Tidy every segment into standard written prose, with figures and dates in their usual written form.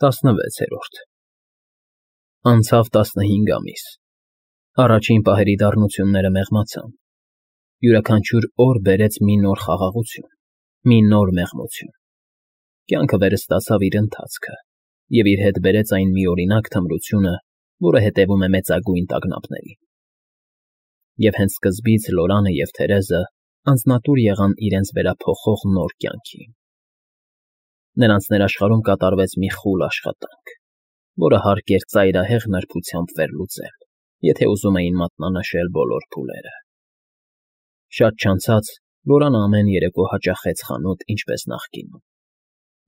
16-րդ Անցավ 15 ամիս, առաջին պահերի դառնությունները մեղմացան, յուրաքանչյուր օր բերեց մի նոր խաղաղություն, մի նոր մեղմություն, կյանքը վերստացավ իր ընթացքը և իր հետ բերեց այն միօրինակ թմրությունը, որը հետևում է մեծագույն տագնապներին։ Եվ հենց սկզբից Լորանը և Թերեզը անձնատուր եղան իրենց վերափոխող նոր կյանքի։ Նրանց ներաշխարհում կատարվեց մի խուլ աշխատանք, որը հարկ էր ծայրահեղ նրբությամբ վերլուծել, եթե ուզում էին մատնանշել բոլոր փուլերը։ Շատ չանցած Լորանը ամեն երեկո հաճախեց խանութ ինչպես նախկինում,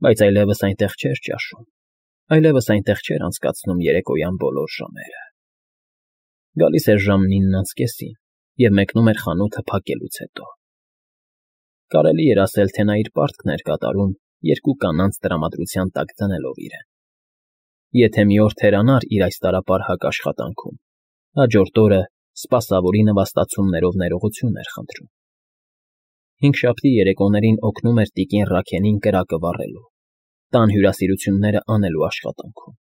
բայց այլևս այնտեղ չէր ճաշում, այլևս այնտեղ չէր անցկացնում երեկոյան բոլոր ժամերը։ Գալիս էր ժամը 9:30 և մեկնում էր խանութը փակելուց հետո։ Կարելի էր ասել, թե նա իր պարտքն էր կատարում երկու կանանց տրամադրության տակ դնելով իրեն։ Եթե մի օր թերանար իր այս տարապարհակ աշխատանքում, հաջորդ օրը սպասավորի նվաստացումներով ներողություն էր խնդրում։ Հինգշաբթի երեկոներին օգնում էր տիկին Ռաքենին կրակը վառելու, տան հյուրասիրությունները անելու աշխատանքում։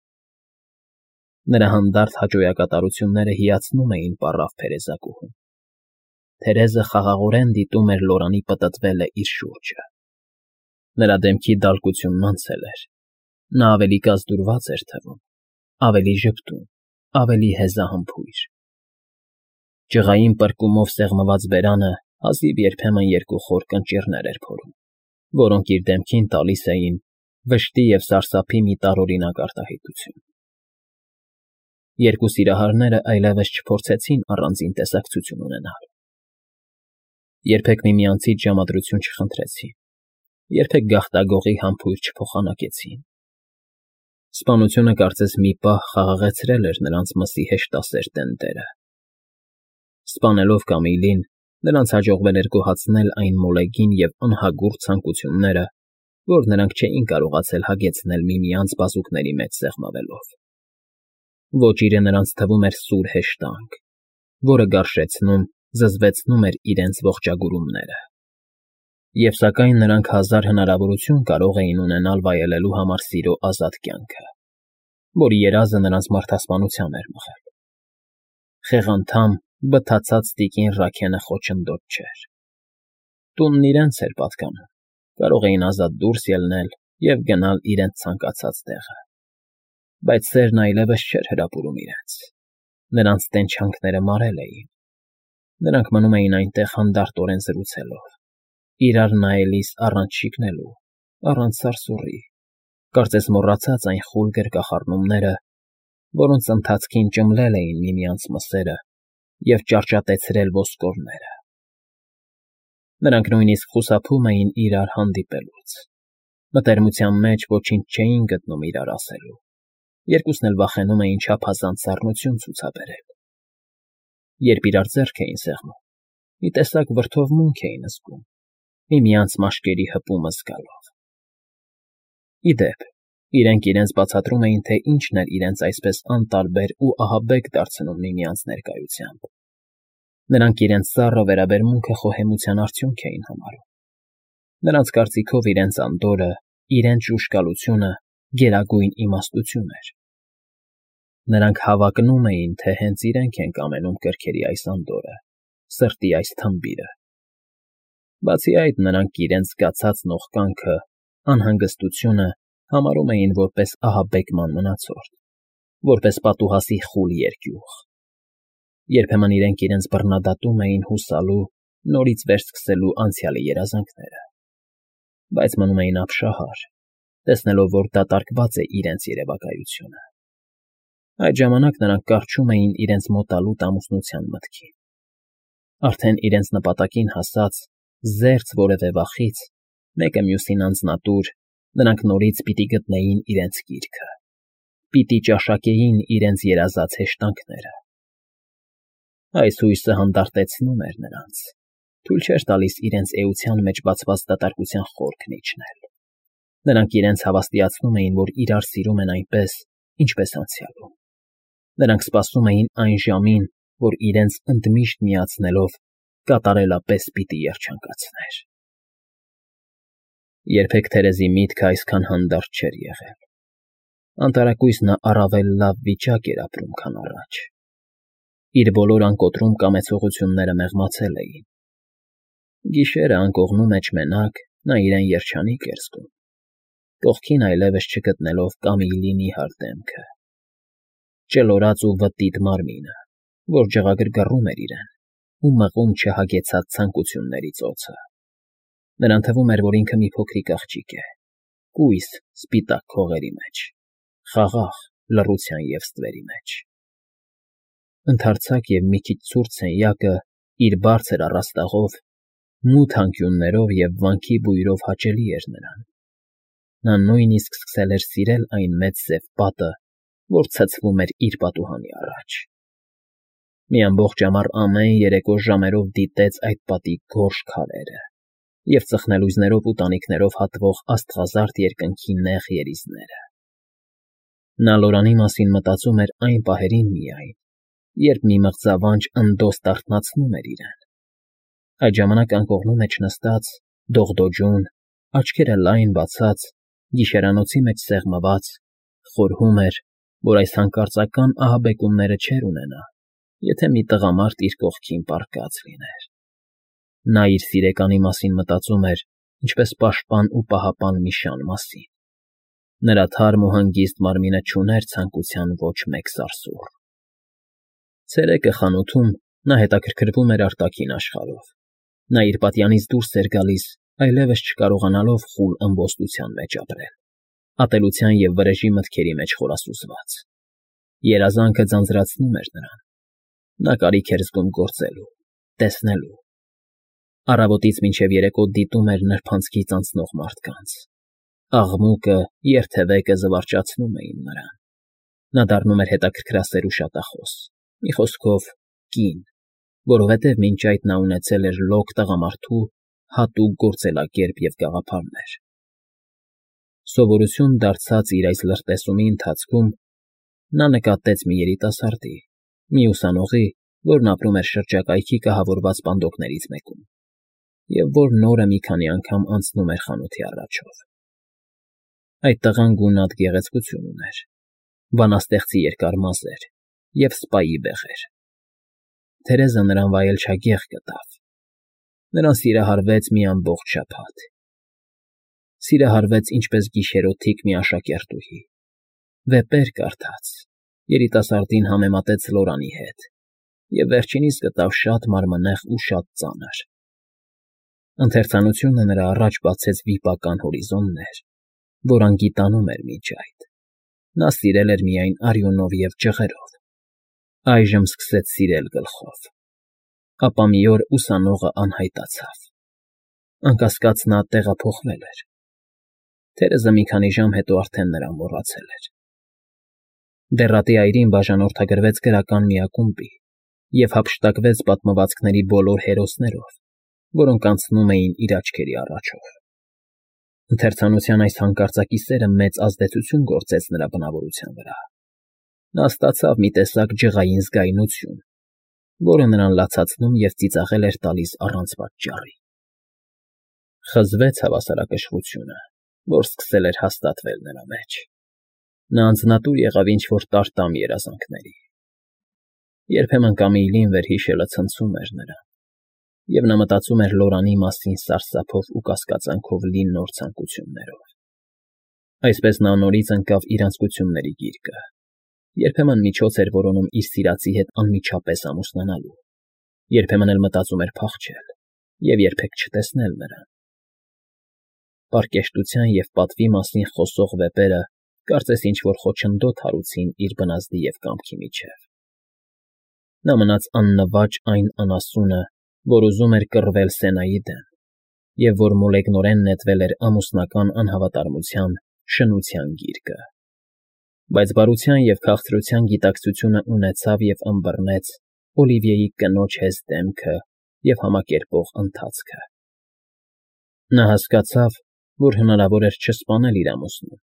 Նրա հանդարտ հաճոյակատարությունները հիացնում էին պառավ փերեզակուհուն։ Թերեզը խաղաղորեն դիտում էր Լորանի պտտվելը իր շուրջը։ Նրա դեմքի դալկությունն անցել էր, նա ավելի կազդուրված էր թվում, ավելի ժպտուն, ավելի հեզահամբույր։ Ջղային պրկումով սեղմված բերանը հազիվ երբեմն երկու խոր կնճիռներ էր փորում, որոնք իր դեմքին տալիս էին վշտի և սարսափի մի տարօրինակ արտահայտություն։ Երկու սիրահարները այլևս չփորձեցին առանձին տեսակցություն ունենալ։ Երբեք միմյանցից ժամադրություն չխնդրեցին, երբեք գաղտագողի համբույր չփոխանակեցին։ Սպանությունը կարծես մի պահ խաղաղեցրել էր նրանց մսի հեշտասեր տերերը։ Սպանելով Կամիլին, նրանց հաջողվել էր գոհացնել այն մոլեգին և անհագուրդ ցանկությունները, որ նրանք չէին կարողացել հագեցնել միմյանց բազուկների մեջ սեղմվելով։ Ոճիրը նրանց թվում էր սուր հեշտանք, որը գարշեցնում, զզվեցնում էր իրենց ողջագուրումները։ Եվ սակայն նրանք հազար հնարավորություն կարող էին ունենալ վայելելու համար սիրո ազատ կյանքը, որի երազը նրանց մարդասպանության էր մղել։ Խեղանդամ, բթացած տիկին Ռաքենը խոչընդոտ չէր։ Տունն իրենց էր պատկանում, կարող էին ազատ դուրս ելնել և գնալ իրենց ցանկացած տեղը։ Բայց սերն այլևս չէր հրապուրում իրենց։ Նրանց տենչանքները մարել էին։ Նրանք մնում էին այնտեղ հանդարտորեն զրուցելով, իրար նայելիս առանց շիկնելու, առանց սարսուռի, կարծես մոռացած այն խուլ գրկախառնումները, որոնց ընթացքին ճմլել էին միմյանց մսերը և ճարճատեցրել ոսկորները։ Նրանք նույնիսկ խուսափում էին իրար հանդիպելուց, մտերմության մեջ ոչինչ չէին գտնում իրար ասելու, երկուսն էլ վախենում էին չափազանց սառնություն ցուցաբերել։ Երբ իրար ձեռք էին սեղմում, մի տեսակ վրդովմունք էին զգում, միմյանց մաշկերի հպումը զգալով։ Ի դեպ, իրենք իրենց բացատրում էին, թե ինչն էր իրենց այսպես անտարբեր ու ահաբեկ դարձնում միմյանց ներկայությամբ։ Նրանք իրենց սառը վերաբերմունքը խոհեմության արդյունք էին համարում։ Նրանց կարծիքով իրենց անդորրը, իրենց ժուժկալությունը գերագույն իմաստություն էր։ Նրանք հավակնում էին, թե հենց իրենք են կամենում կրքերի այս անդորրը, սրտի այս թմբիրը։ Բացի այդ, նրանք իրենց զգացած նողկանքը, անհանգստությունը համարում էին որպես ահաբեկման մնացորդ, որպես պատուհասի խուլ երկյուղ։ Երբեմն իրենց բռնադատում էին հուսալու, նորից վերսկսելու անցյալի երազանքները, բայց մնում էին ապշահար, տեսնելով, որ դատարկված է իրենց երևակայությունը։ Այդ ժամանակ նրանք կառչում էին իրենց մոտալուտ ամուսնության մտքին։ Արդեն իրենց նպատակին հասած, զերծ որևէ վախից, մեկը մյուսին անձնատուր, նրանք նորից պիտի գտնեին իրենց կիրքը, պիտի ճաշակեին իրենց երազած հեշտանքները։ Այս հույսը հանդարտեցնում էր նրանց, թույլ չէր տալիս իրենց էության մեջ բացված դատարկության խորքն իջնել։ Նրանք իրենց հավաստիացնում էին, որ իրար սիրում են այնպես, ինչպես անցյալում։ Նրանք սպասում էին այն ժամին, որ իրենց ընդմիշտ միացնելով կատարելապես պիտի երջանկացներ։ Երբեք Թերեզի միտքը այսքան հանդարտ չէր եղել։ Անտարակույս նա առավել լավ վիճակ էր ապրում, քան առաջ. իր բոլոր անկոտրում կամեցողությունները մեղմացել էին. գիշերը անկողնու մեջ մենակ նա իրեն երջանիկ էր զգում, կողքին այլևս չգտնելով Կամիլի նիհար դեմքը, ճլորած ու վտիտ մարմինը, որ ջղագրգռում էր իրեն ու մղում չհագեցած ցանկությունների ծոցը. նրան թվում էր, որ ինքը մի փոքրիկ աղջիկ է, կույս սպիտակ քողերի մեջ, խաղաղ լռության և ստվերի մեջ. ընդարձակ և մի քիչ ցուրտ սենյակը իր բարձր առաստաղով, մութ անկյուններով և վանքի բույրով հաճելի էր նրան. նա նույնիսկ սկսել էր սիրել այն մեծ սև պատը, որ ցցվում էր իր պատուհանի առաջ. մի ամբողջ ամառ ամեն երեկո ժամերով դիտեց այդ պատի գորշ քարերը և ծխնելույզներով ու տանիքներով հատվող աստղազարդ երկնքի նեղ երիզները. նա Լորանի մասին մտածում էր այն պահերին միայն, երբ մի մղձավանջ ընդոս դարթնացնում էր իրեն. այդ ժամանակ անկողնու մեջ նստած, դողդոջուն, աչքերը լայն բացած, գիշերանոցի մեջ սեղմված, խորհում էր, որ այս հանկարծական ահաբեկումները չէր ունենա, եթե մի տղամարդ իր կողքին պառկած լիներ. նա իր սիրեկանի մասին մտածում էր ինչպես պաշտպան ու պահապան մի շան մասին. նրա թարմ ու հանգիստ մարմինը չուներ ցանկության ոչ մեկ սարսուռ. ցերեկը խանութում նա հետաքրքրվում էր արտաքին աշխարհով. նա իր պատյանից դուրս էր գալիս, այլևս չկարողանալով խուլ ըմբոստության մեջ ապրել, ատելության և վրեժի մտքերի մեջ խորասուզված. երազանքը ձանձրացնում էր նրան. նա կարիք էր զգում գործելու, տեսնելու. առավոտից մինչև երեկո դիտում էր նրբանցքից անցնող մարդկանց. աղմուկը, երթևեկը զվարճացնում էին նրան. նա դառնում էր հետաքրքրասեր ու շատախոս, մի խոսքով կին, որովհետև մինչ այդ նա ունեցել էր լոկ տղամարդու հատուկ գործելակերպ և գաղափարներ. սովորություն դարձած իր այս լրտեսումի ընթացքում նա նկատեց մի երիտասարդի, մի ուսանողի, որն ապրում էր շրջակայքի կահավորված պանդոկներից մեկում, և որն օրը մի քանի անգամ անցնում էր խանութի առաջով. այդ տղան գունատ գեղեցկություն ուներ, բանաստեղծի երկար մազեր և սպայի բեղեր. Թերեզը նրան վայելչագեղ գտավ. նրան սիրահարվեց մի ամբողջ շաբաթ. սիրահարվեց ինչպես գիշերօթիկ մի աշակերտուհի, վեպեր կարդաց, երիտասարդին համեմատեց Լորանի հետ և վերջինիս գտավ շատ մարմնեղ ու շատ ծանր. ընթերցանությունը նրա առաջ բացեց վիպական հորիզոններ, որ անգիտանում էր մինչ այդ. նա սիրել էր միայն արյունով և ջղերով, այժմ սկսեց սիրել գլխով. ապա մի օր ուսանողը անհայտացավ. անկասկած նա տեղափոխվել էր. Թերեզը մի քանի ժամ հետո արդեն նրան մոռացել էր. Դեռատի այրին բաժանորդագրվեց գրական մի ակումբի և հափշտակվեց պատմվածքների բոլոր հերոսներով, որոնք անցնում էին իր աչքերի առաջով. Ընթերցանության այս հանկարծակի սերը մեծ ազդեցություն գործեց նրա բնավորության վրա. նա ստացավ մի տեսակ ջղային զգայունություն, որը նրան լացացնում և ծիծաղել էր տալիս առանց պատճառի. խզվեց հավասարակշռությունը, որ սկսել էր հաստատվել նրա մեջ. նա անձնատուր եղավ ինչ-որ տարտամ երազանքների. երբեմն Կամիլին վերհիշելը ցնցում էր նրան, և նա մտածում էր Լորանի մասին սարսափով ու կասկածանքով լի նոր ցանկություններով. այսպես նա նորից ընկավ իր անձկությունների գիրկը, երբեմն միջոց էր որոնում իր սիրածի հետ անմիջապես ամուսնանալու, երբեմն էլ մտածում էր փախչել և երբեք չտեսնել նրան. պարկեշտության և պատվի մասին խոսող վեպերը կարծես ինչ-որ խոչընդոտ հարուցին իր բնազդի և կամքի միջև. նա մնաց աննվաճ այն անասունը, որ ուզում էր կռվել Սենայի դեմ, և որ մոլեգնորեն նետվել էր ամուսնական անհավատարմության, շնության գիրկը. բայց բարության և քաղցրության գիտակցությունը ունեցավ և ըմբռնեց Օլիվիեի կնոջ հեզ դեմքը և համակերպող ընթացքը. նա հասկացավ, որ հնարավոր էր չսպանել իր ամուսնուն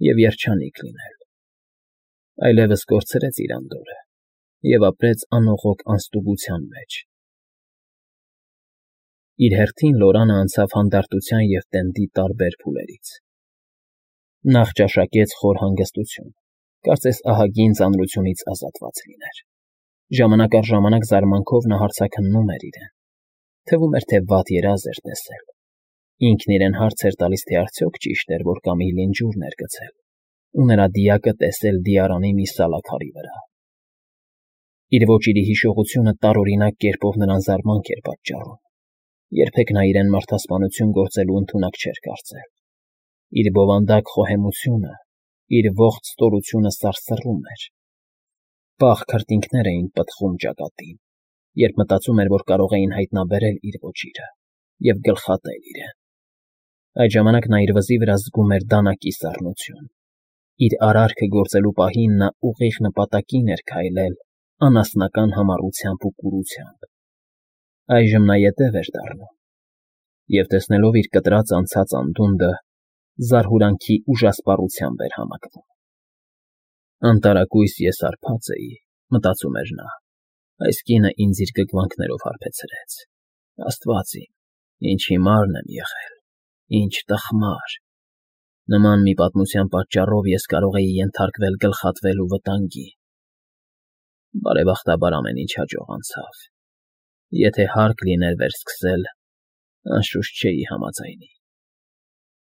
և երջանիկ լինել. այլևս կորցրեց իր անդորրը և ապրեց անողոք անստուգության մեջ. իր հերթին Լորանը անցավ հանդարտության և տենդի տարբեր փուլերից. Նախ ճաշակեց խոր հանգստություն, կարծես ահագին ծանրությունից ազատված լիներ։ Ժամանակ առ ժամանակ զարմանքով նա հարցաքննում էր իրեն. թվում էր, թե վատ երազ էր տեսել։ Ինքն իրեն հարց էր տալիս, թե արդյոք ճիշտ էր, որ Կամիլին ջուրն էր գցել, ու նրա դիակը տեսել դիարանի մի սալաքարի վրա։ Իր ոճիրի հիշողությունը տարօրինակ կերպով նրան զարմանք էր պատճառում։ Երբեք նա իրեն մարդասպանություն գործելու ընդունակ չէր կարծել։ Իր բովանդակ խոհեմությունը, իր ողջ ստորությունը սարսռում էր։ Պաղ քրտինքներ էին պտղում ճակատին, երբ մտածում էր, որ կարող էին հայտնաբերել իր ոճիրը և գլխատել իրեն։ Այդ ժամանակ նա իր վզի վրա զգում էր դանակի սառնություն։ Իր արարքը գործելու պահին նա ուղիղ նպատակին էր քայլել անասնական համառությամբ ու կուրությամբ։ Այժմ նա ետև էր դառնում և, տեսնելով իր կտրած անցած անդունդը, զարհուրանքի ուժասպառությամբ էր համակվում։ Անտարակույս ես հարբած էի, մտածում էր նա, այս կինը ինձ իր գգվանքներով հարբեցրեց։ Աստված իմ, ինչ հիմարն եմ եղել, ինչ տխմար։ Նման մի պատմության պատճառով ես կարող էի ենթարկվել գլխատվելու վտանգի։ Բարեբախտաբար ամեն ինչ հաջող անցավ։ Եթե հարկ լիներ վերսկսել, անշուշտ չէի համաձայնի։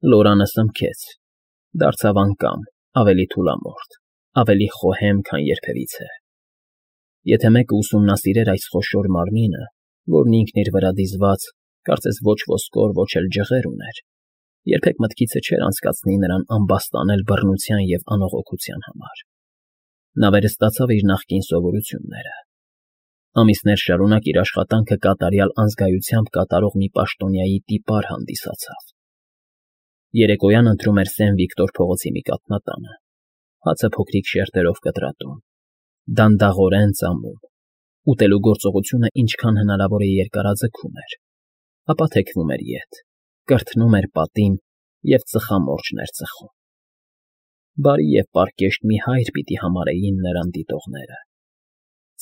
Լորանը սմքեց, դարձավ անկամ, ավելի թուլամորթ, ավելի խոհեմ, քան երբևիցե։ Եթե մեկը ուսումնասիրեր այս խոշոր մարմինը, որն ինքն իր վրա դիզված, կարծես ոչ ոսկոր, ոչ էլ ջղեր ուներ, երբեք մտքիցը չէր անցկացնի նրան ամբաստանել բռնության և անողոքության համար։ Նա վերստացավ իր նախկին սովորությունները։ Ամիսներ շարունակ իր աշխատանքը կատարյալ անզգայությամբ կատարող մի պաշտոնյայի տիպար հանդիսացավ։ Երեկոյան ընթրում էր Սեն Վիկտոր փողոցի մի կաթնատանը, հացը փոքրիկ շերտերով կտրատում, դանդաղորեն ծամում, ուտելու գործողությունը ինչքան հնարավոր է երկարաձգում էր, ապա թեքվում էր ետ, կրթնում էր պատին և ծխամորճ էր ծխում։ Բարի և պարկեշտ մի հայր պիտի համարեին նրան դիտողները։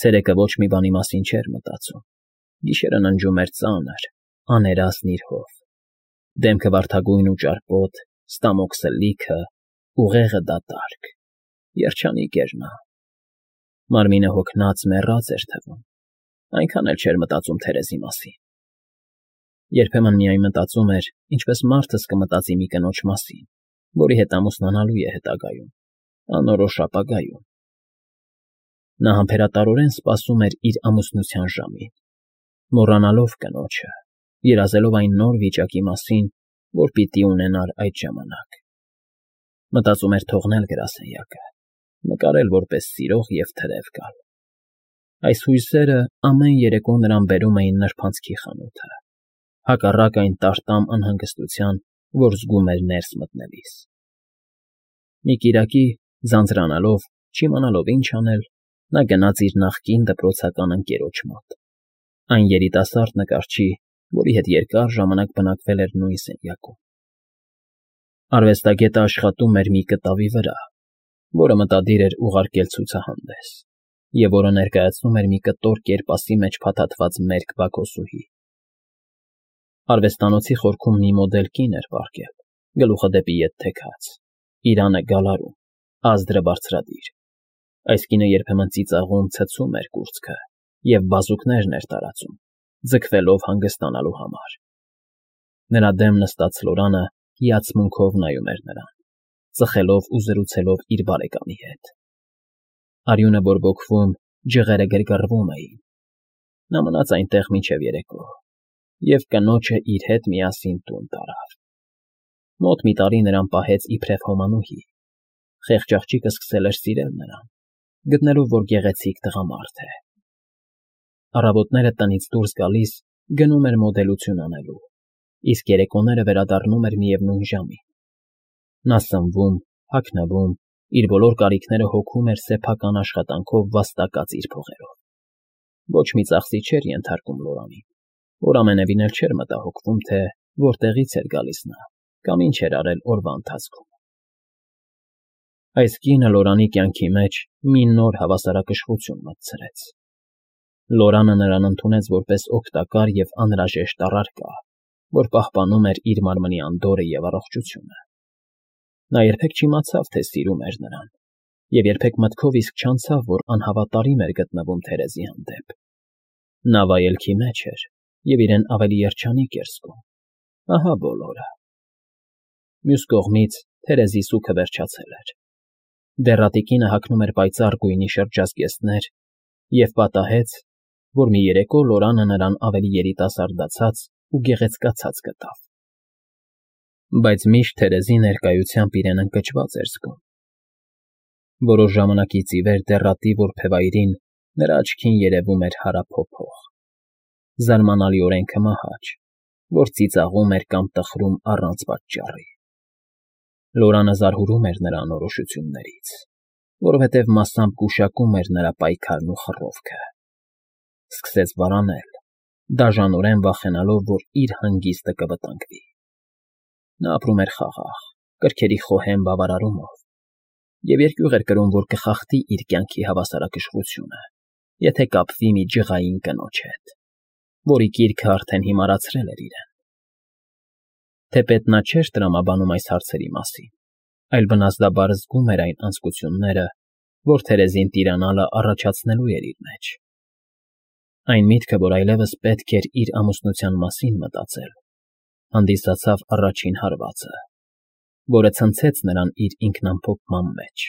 Ցերեկը ոչ մի բանի մասին չէր մտածում, գիշերը ննջում էր ծանր, աներասն իր հով, դեմքը վարդագույն ու ճարպոտ, ստամոքսը լիքը, ուղեղը դատարկ, երջանիկ էր նա։ Մարմինը հոգնած, մեռած էր թվում, այնքան էլ չէր մտածում Թերեզի մասին։ Երբեմն միայն մտածում էր, ինչպես մարդս կմտածի մի կնոջ մասին, որի հետ ամուսնանալու է հետագայում, անորոշ ապագայում։ Նա համբերատարորեն սպասում էր իր ամուսնության ժամին, մոռանալով կնոջը, երազելով այն նոր վիճակի մասին, որ պիտի ունենար այդ ժամանակ։ Մտածում էր թողնել գրասենյակը, նկարել որպես սիրող և թրև գալ։ Այս հույսերը ամեն երեկո նրան բերում էին նրբանցքի խանութը, հակառակ այն տարտամ անհանգստության, որ զգում էր ներս մտնելիս։ Մի կիրակի, ձանձրանալով, չիմանալով ինչ անել, նա գնաց իր նախկին դպրոցական ընկերոջ մոտ, այն երիտասարդ նկարչի, որի հետ երկար ժամանակ բնակվել էր նույն սենյակում։ Արվեստագետը աշխատում էր մի կտավի վրա, որը մտադիր էր ուղարկել ցուցահանդես, և որը ներկայացնում էր մի կտոր կերպասի մեջ փաթաթված մերկ բակոսուհի։ Արվեստանոցի խորքում մի մոդել կին էր պառկել, գլուխը դեպի ետ թեքած, իրանը գալարում, ազդրը բարձրադիր։ Այս կինը երբեմն ծիծաղում ցցում էր կուրծքը և բազուկներն էր տարածում, ձգվելով հանգստանալու համար։ Նրա դեմ նստած Լորանը հիացմունքով նայում էր նրան, ծխելով ու զրուցելով իր բարեկամի հետ։ Արյունը բորբոքվում, ջղերը գրգռվում էին։ Նա մնաց այնտեղ մինչև երեկո և կնոջը իր հետ միասին տուն տարավ։ Մոտ մի տարի նրան պահեց իբրև հոմանուհի։ Խեղճ աղջիկը սկսել էր սիրել նրան, գտնելով, որ գեղեցիկ տղամարդ է։ Առավոտները տնից դուրս գալիս գնում էր մոդելություն անելու, իսկ երեկոները վերադառնում էր միևնույն ժամին։ Նա սնվում, հագնվում, իր բոլոր կարիքները հոգում էր սեփական աշխատանքով վաստակած իր փողերով։ Ոչ մի ծախսի չէր ենթարկում Լորանին, որ ամենևին էլ չէր մտահոգվում, թե որտեղից էր գալիս նա կամ ինչ էր արել օրվա ընթացքում։ Այս կինը Լորանի կյանքի մեջ մի նոր հավասարակշռություն մտցրեց։ Լորանը նրան ընդունեց որպես օգտակար և անհրաժեշտ առարկա, որ պահպանում էր իր մարմնի անդորրը և առողջությունը։ Նա երբեք չիմացավ, թե սիրում էր նրան, և երբեք մտքով իսկ չանցավ, որ անհավատարիմ էր գտնվում Թերեզի հանդեպ։ Նա վայելքի մեջ էր և իրեն ավելի երջանիկ էր զգում։ Ահա բոլորը։ Մյուս կողմից Թերեզի սուգը վերջացել էր։ Դեռատիկինը հագնում էր պայծառ գույնի շրջազգեստներ և պատահեց, որ մի երեկո Լորանը նրան ավելի երիտասարդացած ու գեղեցկացած գտավ։ Բայց միշտ Թերեզի ներկայությամբ իրեն ընկճված էր զգում։ Որոշ ժամանակից ի վեր դեռատի որբևայրին նրա աչքին երևում էր հարափոփող, զարմանալիորեն քմահաճ, որ ծիծաղում էր կամ տխրում առանց պատճառի։ Լորանը զարհուրում էր նրա անորոշություններից, որովհետև մասամբ գուշակում էր նրա պայքարն ու խռովքը։ Սկսեց վարանել, դաժանորեն վախենալով, որ իր հանգիստը կվտանգվի։ Նա ապրում էր խաղաղ, կրքերի խոհեմ բավարարումով, և երկյուղ էր կրում, որ կխախտի իր կյանքի հավասարակշռությունը, եթե կապվի մի ջղային կնոջ հետ, որի կիրքը արդեն հիմարացրել էր իրեն։ Թեպետ նա չէր տրամաբանում այս հարցերի մասին, այլ բնազդաբար զգում էր այն անձկությունները, որ Թերեզին տիրանալը առաջացնելու էր իր մեջ։ Այն միտքը, որ այլևս պետք էր իր ամուսնության մասին մտածել, հանդիսացավ առաջին հարվածը, որը ցնցեց նրան իր ինքնամփոփման մեջ։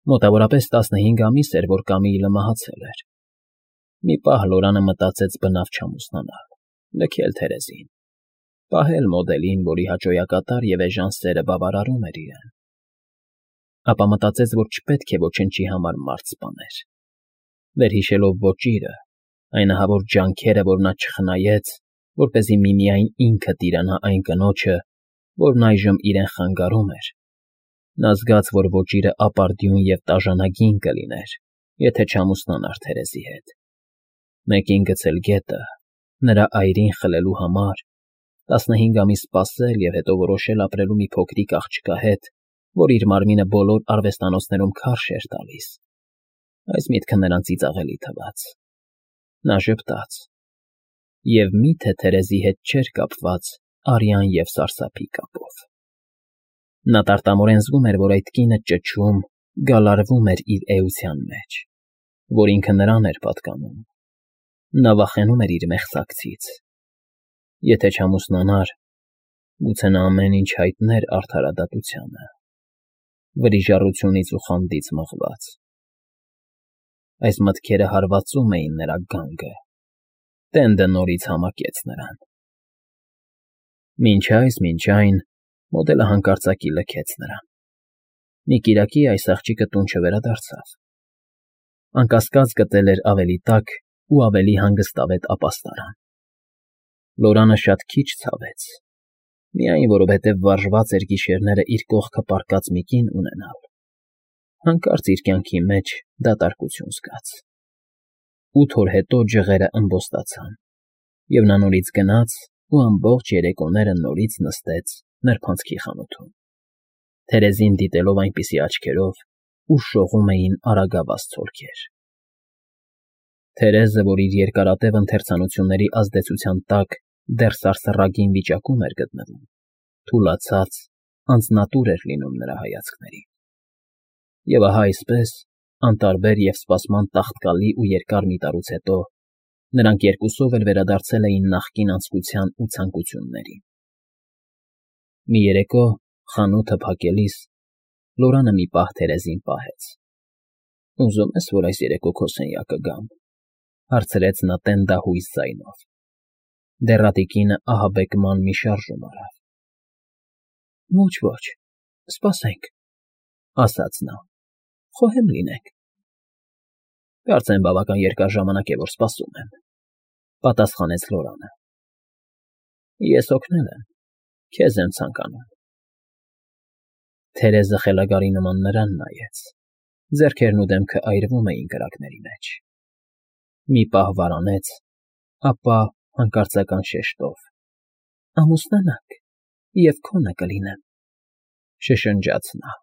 Մոտավորապես 15 ամիս էր, որ Կամիլը մահացել էր։ Մի պահ Լորանը մտածեց բնավ չամուսնանալ, լքել Թերեզին, պահել մոդելին, որի հաճոյակատար և էժան սերը բավարարում էր իրեն։ Ապա մտածեց, որ չպետք է ոչնչի համար մարդ սպաներ։ Վերհիշելով ոճիրը, այն ահավոր ջանքերը, որ նա չխնայեց, որպեսզի միմիայն ինքը տիրանա այն կնոջը, որն այժմ իրեն խանգարում էր, նա զգաց, որ ոճիրը ապարդյուն և տաժանագին կլիներ, եթե չամուսնանար Թերեզի հետ։ Մեկին գցել գետը, նրա այրին խլելու համար, 15 ամիս սպասել և հետո որոշել ապրելու մի փոքրիկ աղջկա հետ, որ իր մարմինը բոլոր արվեստանոցներում քարշ էր տալիս։ Այս միտքը նրան ծիծաղելի թվաց։ Նա ժպտաց. և միթե Թերեզի հետ չէր կապված արյան և սարսափի կապով։ Նա տարտամորեն զգում էր, որ այդ կինը ճչում, գալարվում էր իր էության մեջ, որ ինքը նրան էր պատկանում։ Նա վախենում էր իր մեղսակցից։ Եթե չամուսնանար, գուցե նա ամեն ինչ հայտներ արդարադատությանը, վրիժառությունից ու խանդից մղված։ Այս մտքերը հարվածում էին նրա գանգը։ Տենդը նորից համակեց նրան։ Մինչ այն, մոդելը հանկարծակի լքեց նրան։ Մի կիրակի այս աղջիկը տուն չվերադարձավ։ Անկասկած գտել էր ավելի տաք ու ավելի հանգստավետ ապաստարան։ Լորանը շատ քիչ ցավեց, միայն որովհետև վարժված էր գիշերները իր կողքը պառկած մի կին ունենալ։ Հանկարծ իր կյանքի մեջ դատարկություն զգաց։ 8 օր հետո ջղերը ըմբոստացան, և նա նորից գնաց ու ամբողջ երեկոները նորից նստեց նրբանցքի խանութում, Թերեզին դիտելով այնպիսի աչքերով, ուր շողում էին արագավազ ցոլքեր։ Թերեզը, որ իր երկարատև ընթերցանությունների ազդեցության տակ դեռ սարսռագին վիճակում էր գտնվում, թուլացած, անձնատուր էր լինում նրա հայացքներին։ Եվ ահա այսպես, անտարբեր և սպասման տաղտկալի ու երկար մի տարուց հետո, նրանք երկուսով էլ վերադարձել էին նախկին անձկության ու ցանկություններին։ Մի երեկո, խանութը փակելիս, Լորանը մի պահ Թերեզին պահեց։ «Ուզում ես, որ այս երեկո քո սենյակը գամ», հարցրեց նա տենդահույս ձայնով։ Դեռատիկինը ահաբեկման մի շարժում արավ։ «Ոչ, սպասենք», ասաց նա, «խոհեմ լինենք»։ «Կարծեմ բավական երկար ժամանակ է, որ սպասում եմ», պատասխանեց Լորանը։ «Ես օգնել եմ, քեզ եմ ցանկանում»։ Թերեզը խելագարի նման նրան նայեց, ձեռքերն ու դեմքը այրվում էին կրակների մեջ։ Մի պահ վարանեց, ապա հանկարծական շեշտով. «Ամուսնանանք, և քոնը կլինեմ», շշնջաց նա։